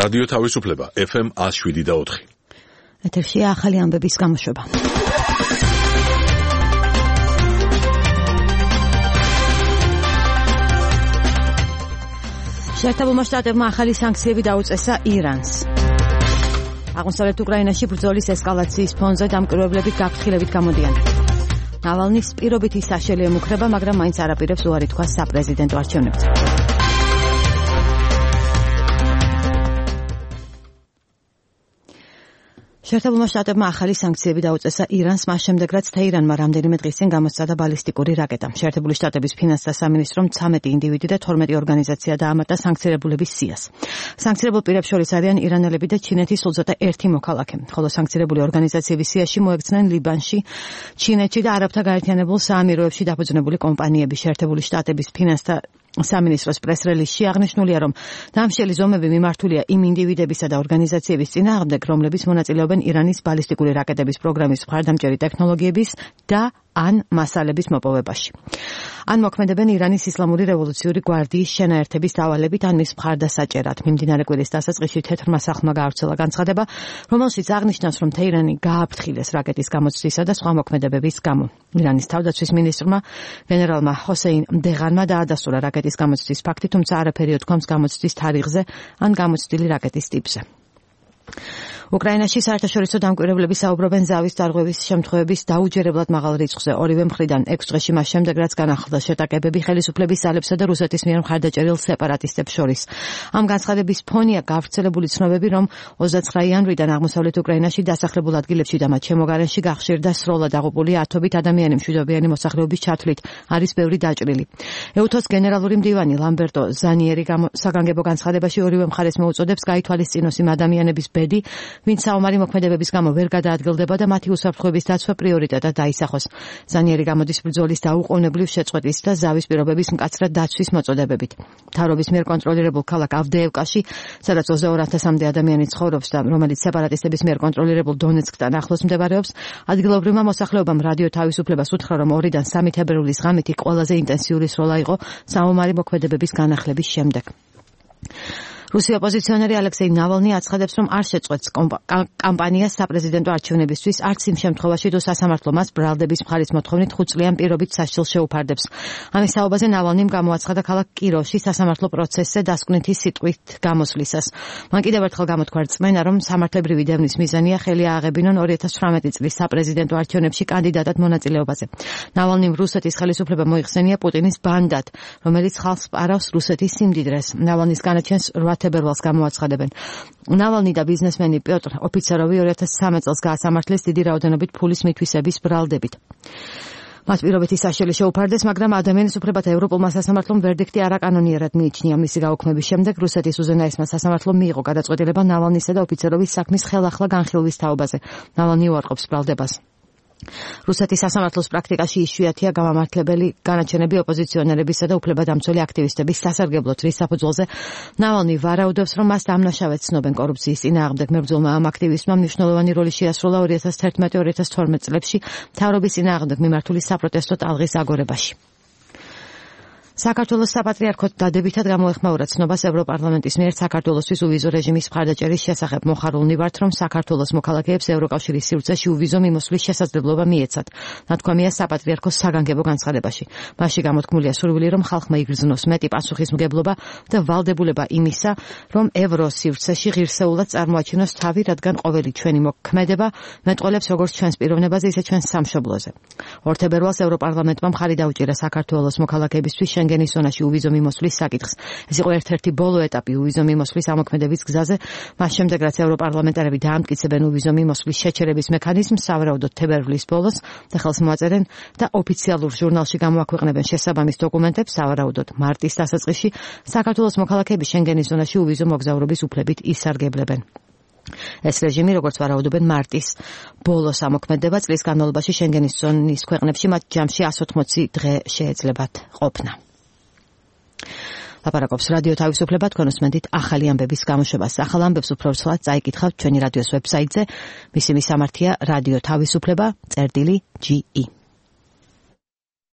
რადიო თავისუფლება FM 107.4. ეთერშია ახალი ამბების გამოშვება. შეერთებულმა შტატებმა ახალი სანქციები დაუწესა ირანს. აღმოსავლეთ უკრაინაში ბრძოლის ესკალაციის ფონზე დამკვირვებლებით გაფრთხილებით გამოდიან. ნავალნის პირობითი საშელი ემუქრება, მაგრამ მაინც არაპირებს უარი თქვა საპრეზიდენტო არჩევნებზე. შეერთებულმა შტატებმა ახალი სანქციები დაუწესა ირანს მას შემდეგ, რაც თეირანმა რამდენიმე დღის წინ გამოსცადა ბალისტიკური რაკეტა. შეერთებული შტატების ფინანსთა სამინისტრომ 13 ინდივიდი და 12 ორგანიზაცია დაამატა სანქცირებულების სიას. სანქცირებულ პირებს შორის არიან ირანელები და ჩინეთის სულ ცოტა ერთი მოქალაქე, ხოლო სანქცირებული ორგანიზაციების სიაში მოექცნენ ლიბანში, ჩინეთში და არაბთა გაერთიანებულ საამიროებში დაფუძნებული კომპანიები. შეერთებული შტატების ფინანსთა სამინისტროს პრეს-რელიზში აღნიშნულია, რომ დამშელი ზომები მიმართულია იმ ინდივიდებისა და ორგანიზაციების წინააღმდეგ, რომლებიც მონაწილეობენ ირანის ბალისტიკური რაკეტების პროგრამის მხარდამჭერი ტექნოლოგიების და ან მასალების მოპოვებაში. ან მოქმედებენ ირანის ისლამური რევოლუციური გვარდიის შენაერთების დავალებით, ან მის მხარდასაჭერად. მიმდინარე კვირის დასაწყისში თეთრმა სახლმა გაავრცელა განცხადება, რომელშიც აღნიშნავს, რომ თეირანი გააფრთხილეს რაკეტის გამოცდისა და სხვა მოქმედებების გამო. ირანის თავდაცვის მინისტრმა გენერალმა ჰოსეინ დეღანმა დაადასტურა რაკეტის გამოცდის ფაქტი, თუმცა არაფერი უთქვამს გამოცდის თარიღზე ან გამოცდილი რაკეტის ტიპზე. უკრაინაში საერთაშორისო დამკვირვებლები საუბრობენ ზავის დარღვევის შემთხვევების დაუჯერებლად მაღალ რიცხვზე ორივე მხრიდან 6 დღეში მას შემდეგ, რაც განახლდა შეტაკებები ხელისუფლების ძალებსა და რუსეთის მიერ მხარდაჭერილ სეპარატისტებს შორის. ამ განცხადების ფონია გავრცელებული ცნობები, რომ 29 იანვრიდან აღმოსავლეთ უკრაინაში დასახლებულ ადგილებში და მათ შემოგარენში გახშირდა სრულად აღუპული ათობით ადამიანი მშვიდობიანი მოსახლეობის ჩათვლით არის ბევრი დაჭრილი. ეუთოს გენერალური მდივანი ლამბერტო ზანიერი საგანგებო განცხადებაში ორივე მხარეს მოუწოდებს გაითვალისწინოს იმ ადამიანების ბედი, ვინც საომარი მოქმედებების გამო ვერ გადაადგილდება და მათი უსაფრთხოების დაცვა პრიორიტეტად დაისახოს. ზანიერი გამოდის ბრძოლის დაუყოვნებლივ შეწყვეტის და ზავის პირობების მკაცრად დაცვის მოწოდებებით. მთავრობის მიერ კონტროლირებულ ქალაქ ავდეევკაში, სადაც 22,000-მდე ადამიანი ცხოვრობს და რომელიც სეპარატისტების მიერ კონტროლირებულ დონეცკთან ახლოს მდებარეობს, ადგილობრივმა მოსახლეობამ რადიო თავისუფლებას უთხრა, რომ 2-დან 3 თებერვლის ღამით ყველაზე ინტენსიური სროლა იყო საომარი მოქმედებების განახლების შემდეგ. რუსი ოპოზიციონერი ალექსეი ნავალნი აცხადებს, რომ არ შეწყვეტს კამპანიას საპრეზიდენტო არჩევნებისთვის, არც იმ შემთხვევაში, თუ სასამართლო მას ბრალდების მხარის მოთხოვნით 5 წლიან პირობით სასჯელს შეუფარდებს. ამის საუბაზე ნავალნიმ გამოაცხადა ქალაქ კიროვში სასამართლო პროცესზე დასკვნითი სიტყვით გამოსვლისას. მან კიდევ ერთხელ გამოთქვა რწმენა, რომ სამართლებრივი დევნის მიზანია ხელი ააღებინონ 2018 წლის საპრეზიდენტო არჩევნებში კანდიდატად მონაწილეობაზე. ნავალნიმ რუსეთის ხელისუფლება მოიხსენია პუტინის ბანდად, რომელიც ხალხს პარავს რუსეთის სიმდიდრეს. ნავალნის განაჩენს 8 თებერვალს გამოაცხადებენ. ნავალნი და ბიზნესმენი პიოტრ ოფიცეროვი 2013 წელს გაასამართლეს დიდი რაოდენობით ფულის მითვისების ბრალდებით. მათ პირობითი საშელი შეუფარდეს, მაგრამ ადამიანის უფლებათა ევროპულმა სასამართლომ ვერდიქტი არაკანონიერად მიიჩნია. მისი გაუქმების შემდეგ რუსეთის უზენაესმა სასამართლომ მიიღო გადაწყვეტილება ნავალნისა და ოფიცეროვის საქმის ხელახლა განხილვის თაობაზე. ნავალნი უარყოფს ბრალდებას. რუსეთის სასამართლოს პრაქტიკაში იშვიათია გამამართლებელი განაჩენები ოპოზიციონერებისა და უფლებადამცველი აქტივისტების სასარგებლოდ, რის საფუძველზე ნავალნი ვარაუდობს, რომ მას დამნაშავედ ცნობენ კორუფციის წინააღმდეგ მებრძოლმა ამ აქტივისტმა მნიშვნელოვანი როლი შეასრულა 2011-2012 წლებში მთავრობის წინააღმდეგ მიმართული საპროტესტო ტალღის აგორებაში. საქართველოს საპატრიარქოს დადებითად გამოეხმაურა ცნობას ევროპარლამენტის მიერ საქართველოსთვის უვიზო რეჟიმის მხარდაჭერის შესახებ. მოხარულნი ვართ, რომ საქართველოს მოქალაქეებს ევროკავშირის სივრცეში უვიზო მიმოსვლის შესაძლებლობა მიეცათ. ნათქვამია საპატრიარქოს საგანგებო განცხადებაში. მასში გამოთქმულია სურვილი, რომ ხალხმა იგრძნოს მეტი პასუხისმგებლობა და ვალდებულება იმისა, რომ ევროს სივრცეში ღირსეულად წარმოაჩინოს თავი, რადგან ყოველი ჩვენი მოქმედება მეტყოლებს როგორც ჩვენს პიროვნებაზე, ისე ჩვენს სამშობლოზე. 2 თებერვალს ევროპარლამენტმა მხარი დაუჭირა საქართველოს მოქალაქეებისთვის შენგენის ზონაში უვიზო მიმოსვლის საკითხს. ეს იყო ერთ-ერთი ბოლო ეტაპი უვიზო მიმოსვლის ამოქმედების გზაზე, მას შემდეგ რაც ევროპარლამენტარები დაამტკიცებენ უვიზო მიმოსვლის შეჩერების მექანიზმს, სავარაუდოდ თებერვლის ბოლოს და ხელს მოაწერენ და ოფიციალურ ჟურნალში გამოაქვეყნებენ შესაბამის დოკუმენტებს, სავარაუდოდ მარტის დასაწყისში საქართველოს მოქალაქეები შენგენის ზონაში უვიზო მოგზაურობის უფლებით ისარგებლებენ. ეს რეჟიმი, როგორც ვარაუდობენ, მარტის ბოლოს ამოქმედება, წლის განმავლობაში შენგენის ზონის ქვეყნებში მათ ჯამში 180 დღე შეეძლებათ ყოფნა. ლაპარაკობს რადიო თავისუფლება, თქვენ უსმენთ ახალი ამბების გამოშვებას. ახალ ამბებს უფრო ცალად წაიკითხავთ ჩვენი რადიოს ვებსაიტზე. მისი მისამართია რადიო თავისუფლება.ge